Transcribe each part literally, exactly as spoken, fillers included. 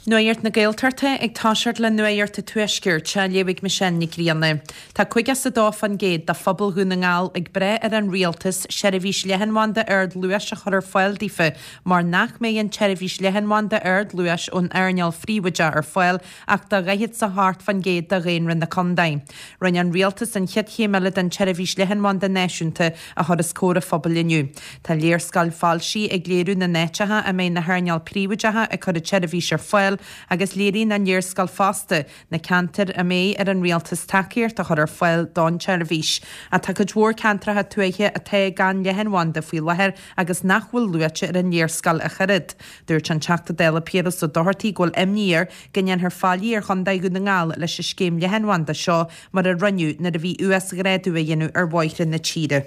Nuacht na Gaeltachta ag toiseacht le Nuacht an Tuaiscirt, á léamh ag Michelle Nic Grianna. Tá caoga is a dó faoin gcéad de phobal Dhún na nGall ag brath ar an rialtas seirbhís leathanbhanda ardluais a chur ar fáil daofa mar nach mbeidh an tseirbhís leathanbhanda ardluais ón earnáil phríobháideach ar fáil ach do dhaichead is a hocht faoin gcéad de dhaonra na contae. Rinne an rialtas an chéad chéim eile den tseirbhís leathanbhanda náisiúnta a chur os comhair an phobail inniu. Tá léarscáil foilsithe ag léiriú na n-áiteacha a mbeidh na hearnáil príobháideacha ag cur an tseirbhís ar fáil agus léiríonn an léarscáil fosta na ceantair a mbeidh ar an rialtas tacaíocht a chur ar fáil don tseirbhís. Ach tá cuid mhór ceantracha tuaithe atá gan leathanbhanda faoi láthair agus nach bhfuil luaite ar an léarscáil ach oiread. Dúirt an Teachta Dála Piaras Ó Dochartaigh go bhfuil imní air go ndéanfar faillí ar Chontae Dhún na nGall leis an scéim leathanbhanda seo mar a rinneadh nuair a bhí uasghrádú á dhéanamh ar bhóithre na tíre.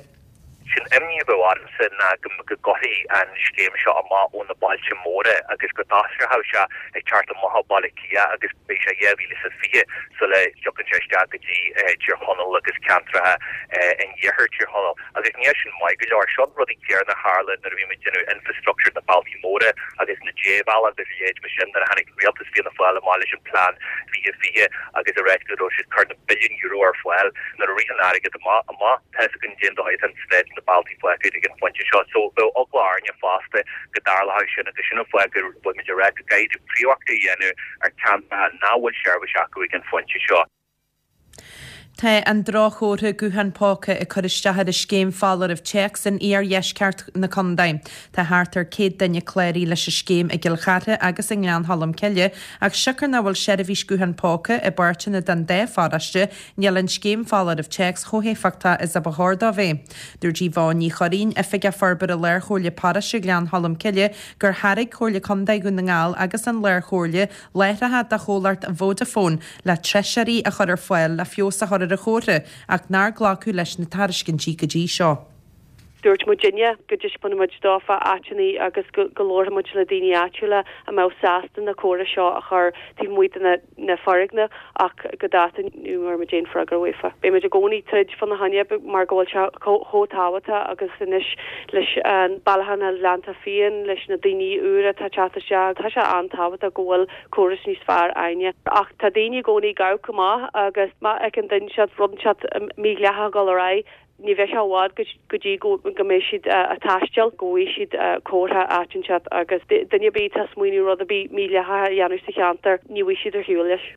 Sin imní a bheadh ormsa ná go go gcuirfí an scéim seo amach ó na bailte móra agus go dtosódh sé ag teacht amach ó Bhaile Átha Cliath agus beidh sé dhá mhíle is a fiche sula dtiocfaidh sé isteach go dtí Tír Chonaill agus ceantracha in iarthar Tír Chonaill. Agus níl sin maith go leor. Seo an rud céanna a tharla nuair a bhí muid ag déanamh infrastructure na bealtaí móra agus na débhealaigh agus a leithéid mar sin nuair a tháinig rialtas Fianna Fáil amach leis an plean fiche fiche agus a ráit go raibh siad cur na billiún euro ar fáil nuair a rith an airgead amach amach tá a fhios againn cén dóigh atá an staid na bealtaí fágtha ag an phointe seo. So bheadh eagla orainne fosta go dtarlódh sin agus sin an fáth go bhfuil muid ag rá go gcaithfidh príomhacht a dhéanamh ar ceantracha nach bhfuil seirbhís acu ag an phointe seo. Tá an droch-chomhartha guthán póca ag cur isteach ar an scéim foláireamh téacs in iardheisceart na contae. Tá thart ar céad duine cláraithe leis an scéim i gCill Chartha agus i nGleann Cholm Cille, ach siocair nach bhfuil seirbhís guthán póca i bpáirteanna den dá pharóiste, níl an scéim foláireamh téacs chomh héifeachtach is a ba chóir dó bheith. Dúirt Yvonne Ní Churraoin, Oifigeach Forbartha Lárchomhairle Paróiste Ghleann Cholm Cille, gur thairg Comhairle Contae Dhún na nGall agus an Lárchomhairle láithreacha do chomhlacht Vodafone le treisitheoirí a chur ar fáil le feabhas a chur ar an chomhartha ach nár glacadh leis na tairiscintí go dtí seo. Dúirt muidinne go dtaispeánfaidh muid dófa áiteanna agus go go labharfaidh muid le daoine áitiúla a mbeadh sásta na córais seo a chur taobh amuigh de na na foirgnimh ach go dáta ní bhfuair muid aon freagra uafa. Beidh muid i gcónaí troid fána choinne mar go bhfuil sé chomh tábhachtach agus anois leis an bailiúchán na Gleannta Fiáin leis na daoine úra atá teacht isteach tá sé an-tábhachtach go bhfuil córas níos fearr againne. Ach tá daoine i gcónaí ag gabháil amach agus má fheiceann duine siad rud siad mídhleathach dul ar aghaidh ní bheidh sé i bhfad go dtí go mbeidh siad ag taisteal go bhfaighidh siad comhartha áit inteacht agus duine ar bith atá ag smaoineamh rud ar bith mídhleathach a dhéanamh sa cheantar ní bhfaighidh siad ar shiúl leis.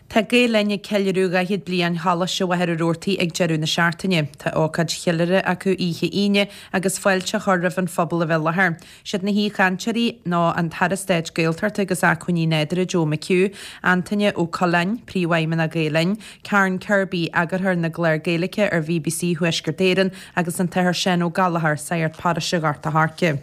Tá Gael Linn ag ceiliúradh dhaichead bliain Choláiste Mhachaire Rabhartaigh ag deireadh na seachtaine. Tá ócáid cheiliúrtha acu oíche Aoine agus fáilte á chur roimh an phobal a bheith i láthair. Siad na haoichainteoirí ná an tAire Stáit Gaeltachta agus Acmhainní Nádúrtha Joe McHugh, Antaine Ó Coileáin, Príomhfheidhmeannach Gael Linn, Karen Kirby, eagarthóir na gclár Gaeilge ar BBC Thuaisceart Éireann agus an tAthair Seán Ó Gallchóir, Sagart Paróiste Ghort a' Choirce.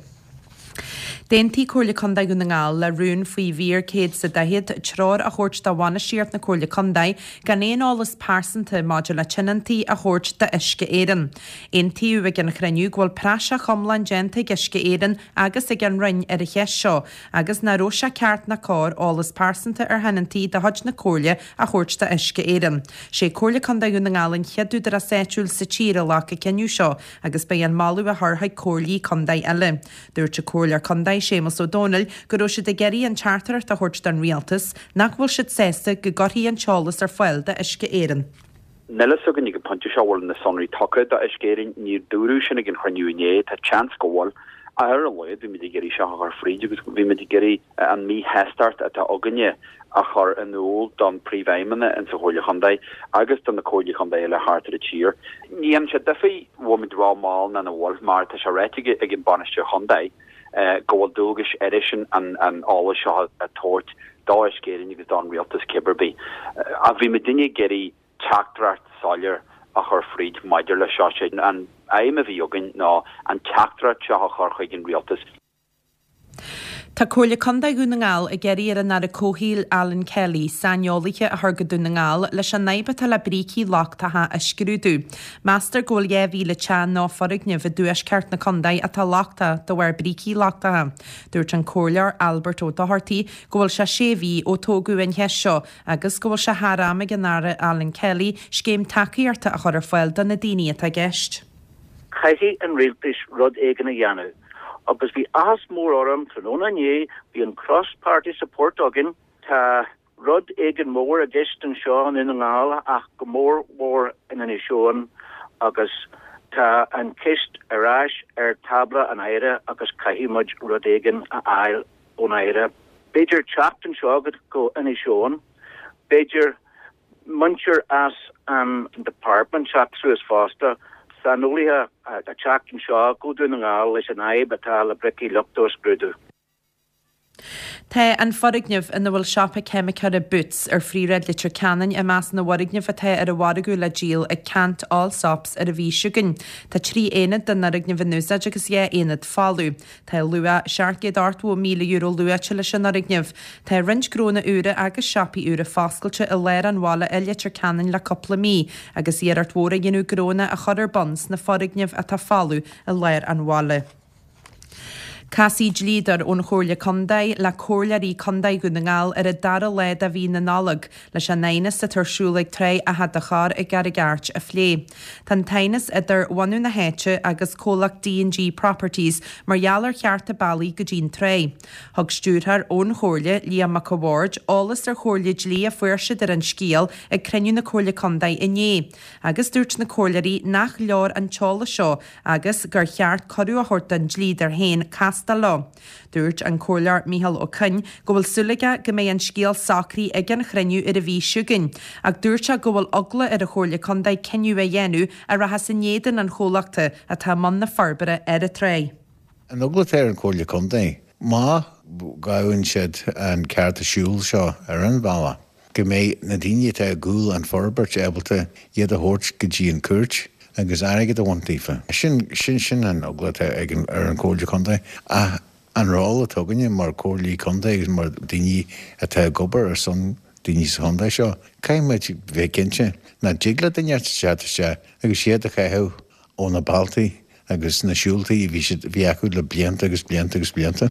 D'aontaigh Comhairle Contae Dhún na nGall le rún faoi mhír céad is a daichead treoir a thabhairt do bhainistíocht na Comhairle Contae gan aon eolas pearsanta maidir le tionóntaí a thabhairt d'Uisce Éireann. Aontaíodh ag an chruinniú go bhfuil praiseach iomlán déanta ag Uisce Éireann agus ag an Roinn ar an cheist seo agus nach raibh sé ceart ná cóir eolas pearsanta ar thionóntaí de chuid na Comhairle a thabhairt d'Uisce Éireann. Sé Comhairle Contae Dhún na nGall an chéad údarás áitiúil sa tír a ghlac an cinneadh seo agus beidh an moladh á chur chuig comhairlí contae eile. Dúirt an Comhairleoir Contae Séamus Ó Dónaill go raibh siad ag iarraidh an teachtaireacht a thabhairt don rialtas nach bhfuil siad sásta go gcuirfí an t-eolas ar fáil d'Uisce Éireann. Níl a fhios againn ag an bpointe seo bhfuil na sonraí tugtha d'Uisce Éireann, níor dúradh sin ag an chruinniú inné, tá seans go bhfuil. Ach ar a laghad bhí muid ag iarraidh seo a chur fríd agus bhí muid ag iarraidh an míshástacht atá againne a chur in iúl don Phríomhfheidhmeannach insa Chomhairle Chontae agus do na Comhairlí Chontae eile thart ar an tír. Ní dhéanann sé difear an bhfuil muid ró-mhall nó nach bhfuil mar tá sé ráite ag an Bainisteoir Chontae go bhfuil dualgais airsean an an eolas seo a tabhairt d'Uisce Éireann agus don Rialtas cibé ar bith. Ach bhí muidinne ag iarraidh teachtaireacht soiléir a chur fríd maidir le seo. Sé an aidhm a bhí againn ná an teachtaireacht seo a chur chuig an rialtas. Tá Comhairle Contae Dhún na nGall ag iarraidh ar an Aire Comhshaoil Alan Kelly saineolaithe a chur go Dún na nGall leis an fhadhb atá le brící lochtacha a scrúdú. Meastar go bhfuil dhá mhíle teach nó foirgneamh i dtuaisceart na contae atá lochtach de bharr brící lochtacha. Dúirt an Comhairleoir Albert Ó Dochartaigh go bhfuil sé sé mhí ó tógadh an cheist seo agus go bhfuil sé thar am ag an Aire Alan Kelly scéim tacaíochta a chur ar fáil do na daoine atá i gceist. Caithfidh an rialtas rud éigin a dhéanamh Agus bhí áthas mór orm tráthnóna inné bhí an cross party support againn tá rud éigin mór i gceist anseo i nDún na nGall ach go mór mhór in Inis Eoghain agus tá an cheist ar ais ar tábla an Aire agus caithfidh muid rud éigin a fháil ón Aire. B'fhéidir teacht anseo go Inis Eoghain, b'fhéidir muintir as an department teacht suas fosta, saineolaithe a teacht anseo go Dún na nGall leis an fhadhb atá le bricí lochta a scrúdú. Tá an foirgneamh ina bhfuil siopa ceimiceora Boots ar Phríomhshráid Leitir Ceanainn i measc na bhfoirgneamh atá ar an mhargadh le díol ag Ceannt Allsops ar an mhí seo chugainn. Tá trí aonad den fhoirgneamh in úsáid agus dhá aonad folamh. Tá luach seacht gcéad ochtó míle euro luaite leis an fhoirgneamh. Tá roinnt gnónna úra agus siopaí úra foscailte i lár an bhaile i Leitir Ceanainn le cúpla mí, agus iarracht mhór á dhéanamh gnónna a chur ar bun sna foirgnimh atá folamh i lár an bhaile. Casfaidh dlíodóir ón Chomhairle Contae le Comhairleoirí Contae Dhún na nGall ar an dara lá de mhí na Nollag leis an aighneas atá ar siúl ag Trá Achadh an Chorr i gCarraig Airt a phlé. Tá an t-aighneas idir bhunadh na háite agus comhlacht D and G Properties mar gheall ar chearta bealaigh go dtí an trá. Thug stiúrthóir ón Chomhairle, Liam Mac a' Bhaird, eolas ar chomhairle dlí a fuair siad ar an scéal ag cruinniú na Comhairle Contae inné, agus dúirt na comhairleoirí nach leor an t-eolas seo agus gur cheart cuireadh a thabhairt don dlíodóir féin castáil leo. Dúirt an Comhairleoir Micheál Ó Coinn go bhfuil súil aige go mbeidh an scéal socraithe ag an chruinniú ar an mhí seo chugainn, ach dúirt sé go bhfuil eagla ar an Chomhairle Contae cinneadh a dhéanamh a rachas in éadan an chomhlachta atá i mbun na forbartha ar an trá. An eagla atá ar an Chomhairle Contae, má ghabhann siad an cearta siúil seo ar an bhealach, go mbeidh na daoine atá i gcúl an forbairt ábalta iad a thabhairt go dtí an cúirt agus airgead a bhaint daofa. Sin sin sin an eagla atá ag an ar an Chomhairle Contae. Ach an ról atá againne mar Chomhairlí Contae agus mar daoine atá ag obair ar son daoine sa chontae seo, caithfidh muid bheith cinnte nach dtig le duine teacht isteach agus iad a chaitheamh ó na bealtaí agus na siúltaí a bhí siad bhí acu le blianta agus blianta agus blianta.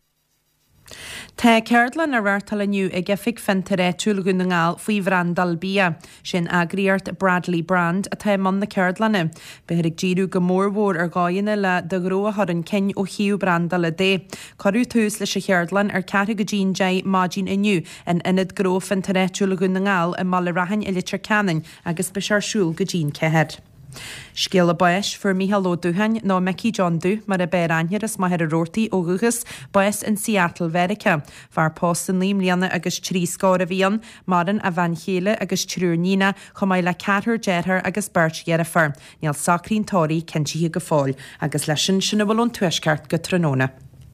Tá ceardlann á reáchtáil inniu ag Oifig Fiontair Áitiúil Dhún na nGall faoi bhrandáil bia. Sin eagraíocht Bradley Brand atá i mbun na ceardlainne. Beifear ag díriú go mórmhór ar dhóigheanna le do ghnó a chur chun cinn ó thaobh brandála de. Cuireadh tús leis an cheardlann ar ceathrú go dtí an deich maidin inniu in Ionad Gnó Fiontair Áitiúil Dhún na nGall i mBaile Raithin i Leitir Ceanainn agus beidh sé ar siúl go dtí an ceathair. Scéala báis, Fuair Mícheál Ó Dútháin, nó Micí John Dubh mar ab fhearr aithne air as Machaire Rabhartaigh ó dhúchas, bás in Seattle, Mheiriceá. Fear pósta naoi mbliana agus trí scór a bhí ann. Maireann a bhean chéile agus triúr níonach, chomh maith le ceathrar dearthár agus beirt dheirfiúr. Níl socraí an tórraimh cinntithe go fóill. Agus leis sin, sin a bhfuil ón Tuaisceart go tráthnóna.